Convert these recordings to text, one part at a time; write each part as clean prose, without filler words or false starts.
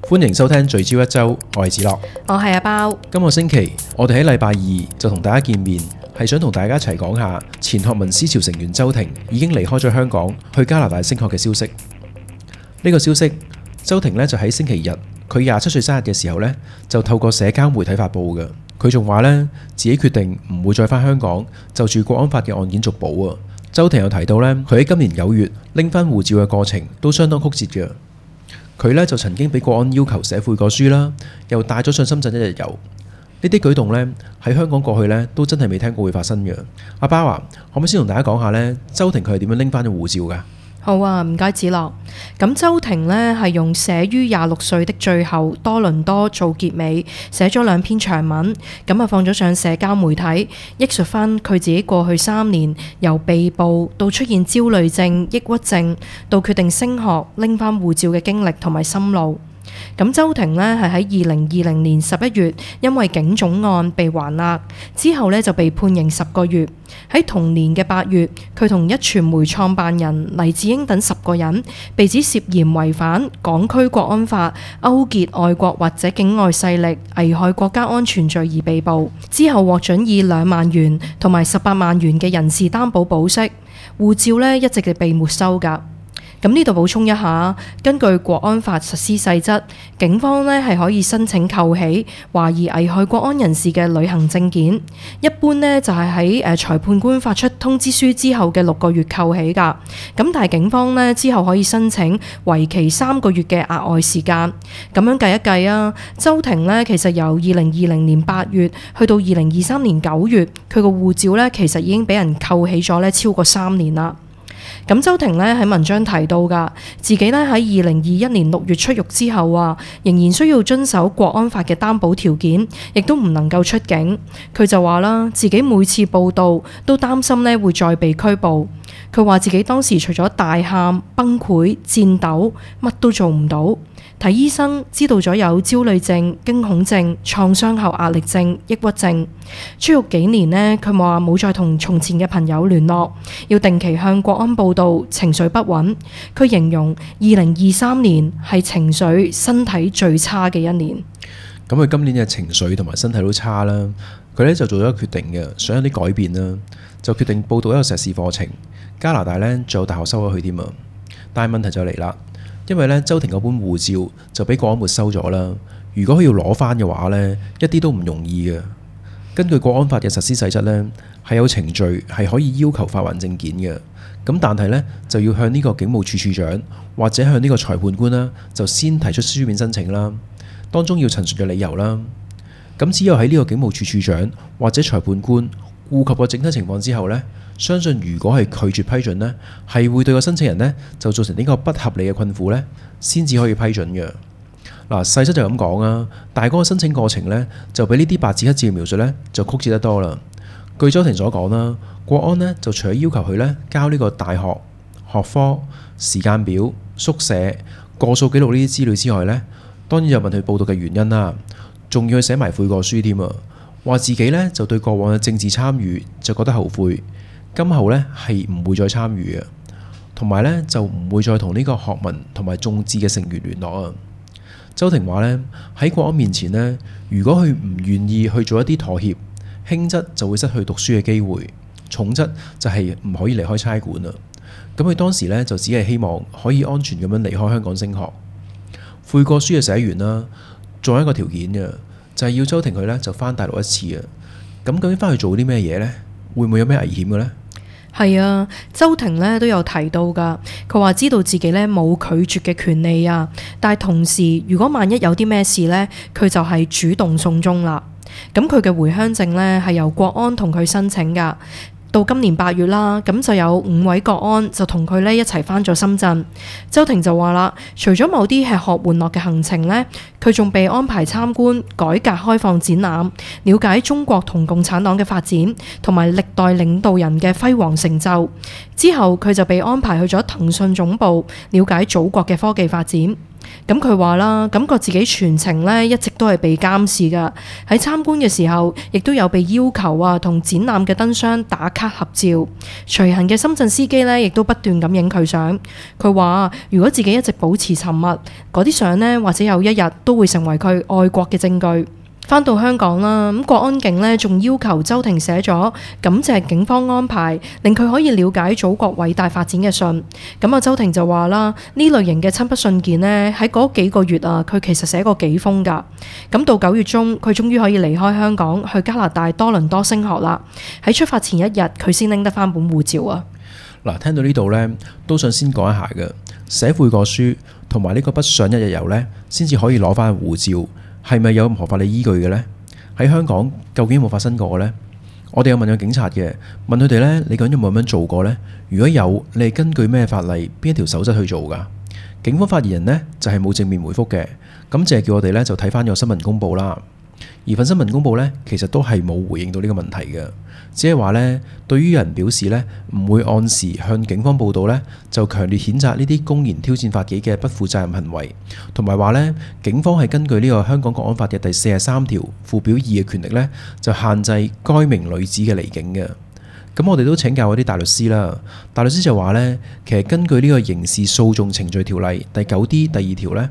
歡迎收聽聚焦一周，我係子樂，我係阿包。今個星期我哋喺禮拜二就同大家見面，係想同大家一齊講下前學民思潮成員周庭已經離開咗香港去加拿大升學嘅消息。呢個消息，周庭呢就喺星期日，佢27歲生日嘅時候呢，就透過社交媒體發佈嘅。佢仲話呢，自己決定唔會再返香港就住國安法嘅案件續保啊。周庭又提到呢，佢喺今年9月拎返護照嘅過程都相當曲折嘅。佢呢就曾經俾國安要求寫悔過書啦，又帶咗上深圳一日遊。呢啲舉動呢，喺香港過去呢都真係未聽過會發生嘅。阿包啊，可唔可以先同大家講下呢？周庭佢係點樣拎返咗護照㗎？好啊，唔該子樂。咁周庭呢係用寫於26歲的最後多倫多做結尾，寫咗2篇長文，咁啊放咗上社交媒體，憶述翻佢自己過去3年由被捕到出現焦慮症、抑鬱症，到決定升學拎翻護照嘅經歷同埋心路。咁周庭呢係喺2020年11月因為警總案被還押，之後呢就被判刑10個月。喺同年嘅8月，佢同壹傳媒創辦人黎智英等10個人被指涉嫌違反港區國安法、勾結外國或者境外勢力危害國家安全罪而被捕，之後獲准以2萬元同埋18萬元嘅人事擔保保釋，護照呢一直係被沒收㗎。咁呢度補充一下，根據國安法實施細則，警方呢係可以申請扣起懷疑危害國安人士嘅旅行證件，一般呢就係喺裁判官發出通知書之後嘅6個月扣起㗎。咁但係警方呢之後可以申請為期3個月嘅額外時間。咁樣計一計啊，周庭呢其實由2020年8月去到2023年9月，佢個護照呢其實已經俾人扣起咗呢超過3年啦。咁周庭呢喺文章提到㗎，自己呢喺2021年6月出獄之後啊，仍然需要遵守國安法嘅擔保條件，亦都唔能夠出境。佢就話啦，自己每次報到都擔心呢會再被拘捕。佢話自己當時除咗大喊、崩潰、戰鬥，乜都做唔到。睇醫生知道咗有焦慮症、驚恐症、創傷後壓力症、抑鬱症。出獄幾年呢，佢話冇再同從前嘅朋友聯絡，要定期向國安報到，情緒不穩。佢形容2023年係情緒、身體最差嘅一年。咁佢今年嘅情緒同埋身體都差啦，佢呢就做咗一個決定嘅，想有啲改變啦，就決定報讀一個碩士課程。加拿大呢仲有大學收咗佢添啊，但係問題就嚟啦。因為呢，周庭嗰本護照就俾國安沒收咗啦。如果佢要攞返嘅話呢，一啲都唔容易嘅。根據國安法嘅實施細則呢，係有程序係可以要求發還證件嘅。咁但係呢，就要向呢個警務處處長或者向呢個裁判官啦，就先提出書面申請啦。當中要陳述嘅理由啦。咁只有喺呢個警務處處長或者裁判官顧及個整體情況之後呢，相信如果係拒絕批准呢，係會對個申請人呢就造成呢個不合理嘅困苦呢，先至可以批准嘅。嗱，細則就咁講啊，但係嗰個申請過程呢，就比呢啲白紙黑字嘅描述呢，就曲折得多啦。據周庭所講啦，國安呢就除咗要求佢呢交呢個大學、學科、時間表、宿舍、過數記錄呢啲資料之外呢，當然就問佢報讀嘅原因啦，仲要佢寫埋悔過書添啊，話自己呢就對過往嘅政治參與就覺得後悔。今後呢係唔會再參與嘅，同埋呢就唔會再同呢個學民同埋眾志嘅成員聯絡啊。周庭話呢，喺國安面前呢，如果佢唔願意去做一啲妥協，輕則就會失去讀書嘅機會，重則就係唔可以離開差館啦。咁佢當時呢就只係希望可以安全咁樣離開香港升學。悔過書就寫完啦，仲有一個條件嘅，就係要周庭佢呢就返大陸一次啊。咁究竟返去做啲咩嘢呢？會唔會有咩危險嘅呢？係啊，周庭呢都有提到㗎。佢話知道自己呢冇拒絕嘅權利啊，但係同時如果萬一有啲咩事呢，佢就係主動送中啦。咁佢嘅回鄉證呢係由國安同佢申請㗎。到今年8月啦，咁就有5位國安就同佢呢一齊返咗深圳。周庭就話啦，除咗某啲吃喝玩樂嘅行程呢，佢仲被安排參觀改革開放展覽，了解中國同共產黨嘅發展，同埋歷代領導人嘅輝煌成就。之後佢就被安排去咗騰訊總部，了解祖國嘅科技發展。咁佢話啦，感覺自己全程呢一直都係被監視㗎。喺參觀嘅時候，亦都有被要求啊同展覽嘅燈箱打卡合照。隨行嘅深圳司機呢，亦都不斷咁影佢相。佢話如果自己一直保持沉默，嗰啲相呢，或者有一日都會成為佢愛國嘅證據。返到香港啦，咁國安警呢仲要求周庭寫咗感謝警方安排，令佢可以了解祖國偉大發展嘅信。咁啊，周庭就話啦，呢類型嘅親筆信件呢，喺嗰幾個月啊，佢其實寫過幾封㗎。咁到9月中，佢終於可以離開香港，去加拿大多倫多升學啦。喺出發前一日，佢先拎得返本護照啊。嗱，聽到呢度呢，都想先講一下嘅，寫悔過書同埋呢個不上一日遊呢，先至可以攞返護照。係咪有任何法理依據嘅呢？喺香港究竟有冇發生過呢？我哋有問過警察嘅，問佢哋呢：「你究竟有冇咁樣做過呢？如果有，你係根據咩法例、邊一條守則去做㗎？」警方發言人呢，就係冇正面回覆嘅，咁淨係叫我哋呢，就睇返個新聞公佈啦。而份新聞公佈呢，其實都係冇回應到呢個問題嘅，只係話呢，對於有人表示呢，唔會按時向警方報到呢，就強烈譴責呢啲公然挑戰法紀嘅不負責任行為，同埋話呢，警方係根據呢個香港國安法嘅第43條附表2嘅權力呢，就限制該名女子嘅離境嘅。咁我哋都請教嗰啲大律師啦，大律師就話呢，其實根據呢個刑事訴訟程序條例第 9D 第2條呢，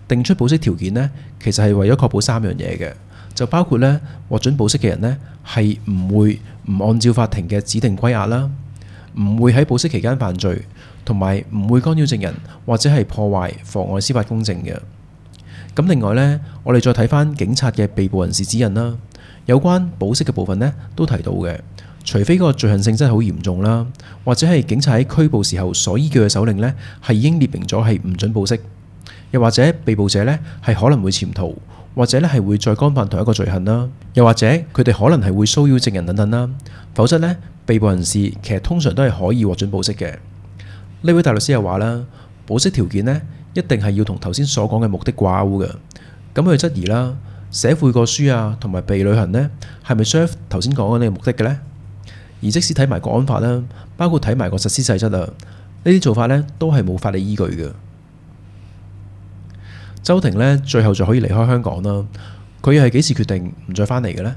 定出保釋條件呢，其實係為咗確保3樣嘢嘅。就包括咧，獲准保釋嘅人呢，係唔會唔按照法庭嘅指定歸押啦，唔會喺保釋期間犯罪，同埋唔會干擾證人或者係破壞妨礙司法公正嘅。咁另外呢，我哋再睇翻警察嘅被捕人士指引啦，有關保釋嘅部分呢，都提到嘅，除非嗰個罪行性真係好嚴重啦，或者係警察喺拘捕時候所依據嘅手令呢，係已經列明咗係唔准保釋，又或者被捕者呢，係可能會潛逃。或者咧係會再干犯同一個罪行啦，又或者佢哋可能係會騷擾證人等等啦，否則呢，被捕人士其實通常都係可以獲准保釋嘅。呢位大律師又話啦，保釋條件呢，一定係要同頭先所講嘅目的掛鈎嘅。咁佢質疑啦，寫悔過書啊同埋被旅行呢，係咪 serve 頭先講嘅呢個目的嘅呢？而即使睇埋國安法啦，包括睇埋個實施細則啊，呢啲做法呢，都係冇法理依據嘅。周庭呢，最後就可以離開香港啦。佢又係幾時決定唔再返嚟嘅呢？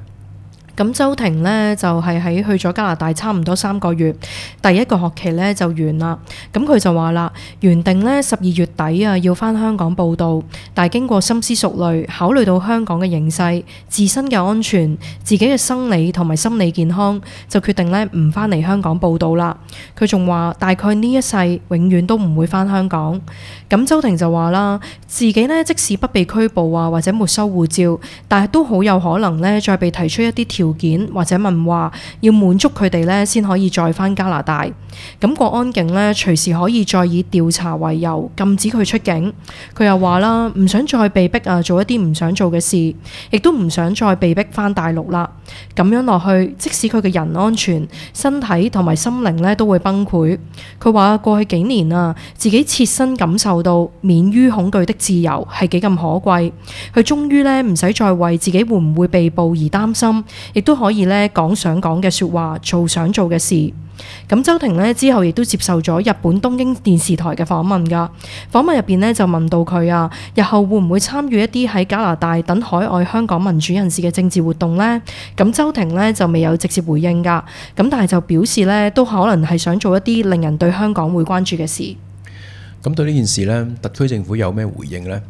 咁周庭呢，就係喺去咗加拿大差唔多3個月，第一個學期呢就完啦。咁佢就話啦，原定呢12月底啊要返香港報到，但係經過深思熟慮，考慮到香港嘅形勢、自身嘅安全、自己嘅生理同埋心理健康，就決定呢唔返嚟香港報到啦。佢仲話大概呢一世永遠都唔會返香港。咁周庭就話啦，自己呢即使不被拘捕啊或者沒收護照，但係都好有可能呢再被提出一啲條件或者問話，要滿足佢哋呢先可以再返加拿大。咁國安警呢隨時可以再以調查為由禁止佢出境。佢又話啦，唔想再被逼啊做一啲唔想做嘅事，亦都唔想再被逼返大陸啦。咁樣落去，即使佢嘅人安全、身體同埋心靈呢都會崩潰。佢話過去幾年啊，自己切身感受到免於恐懼的自由係幾咁可貴。佢終於呢唔使再為自己會唔會被捕而擔心，亦都可以呢講想講嘅說話，做想做嘅事。咁周庭呢之後亦都接受咗日本東京電視台嘅訪問㗎。訪問入邊呢就問到佢啊，日後會唔會參與一啲喺加拿大等海外香港民主人士嘅政治活動呢？咁周庭呢就未有直接回應㗎。咁但係就表示呢都可能係想做一啲令人對香港會關注嘅事。咁對呢件事呢，特區政府有咩回應呢？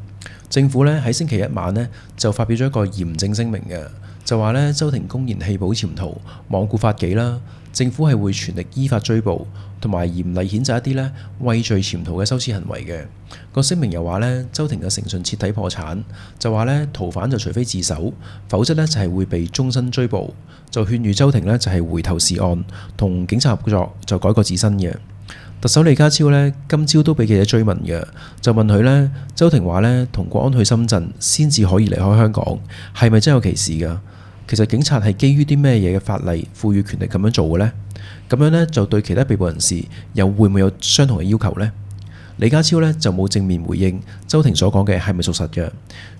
政府呢喺星期一晚呢就發表咗一個嚴正聲明嘅，就話呢周庭公然棄保潛逃、罔顧法紀啦。政府係會全力依法追捕，同埋嚴厲譴責一啲呢畏罪潛逃嘅羞恥行為嘅。個聲明又話呢，周庭嘅誠信徹底破產，就話呢逃犯就除非自首，否則呢就係會被終身追捕。就勸喻周庭呢就係回頭是岸，同警察合作，就改過自新嘅。特首李家超呢今朝都俾記者追問嘅，就問佢呢，周庭話呢同國安去深圳先至可以離開香港，係咪真有其事㗎？其實警察係基於啲咩嘢嘅法例賦予權力咁樣做嘅呢？咁樣呢，就對其他被捕人士又會唔會有相同嘅要求呢？李家超呢就冇正面回應周庭所講嘅係咪屬實嘅，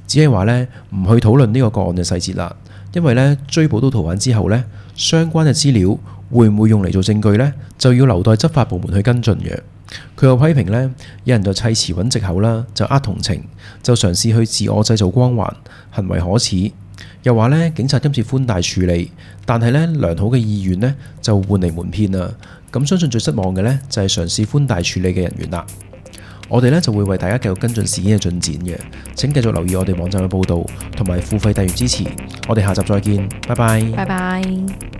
只係話呢唔去討論呢個個案嘅細節啦，因為呢追捕到逃犯之後呢，相關嘅資料會唔會用嚟做證據呢？就要留待執法部門去跟進嘅。佢又批評呢，有人就砌詞揾藉口啦，就呃同情，就嘗試去自我製造光環，行為可恥。又話呢，警察今次寬大處理，但係呢，良好嘅意願呢就換嚟瞞騙啦。咁相信最失望嘅呢，就係嘗試寬大處理嘅人員啦。我哋呢就會為大家繼續跟進事件嘅進展嘅，請繼續留意我哋網站嘅報導，同埋付費訂閱支持。我哋下集再見，拜拜。拜拜。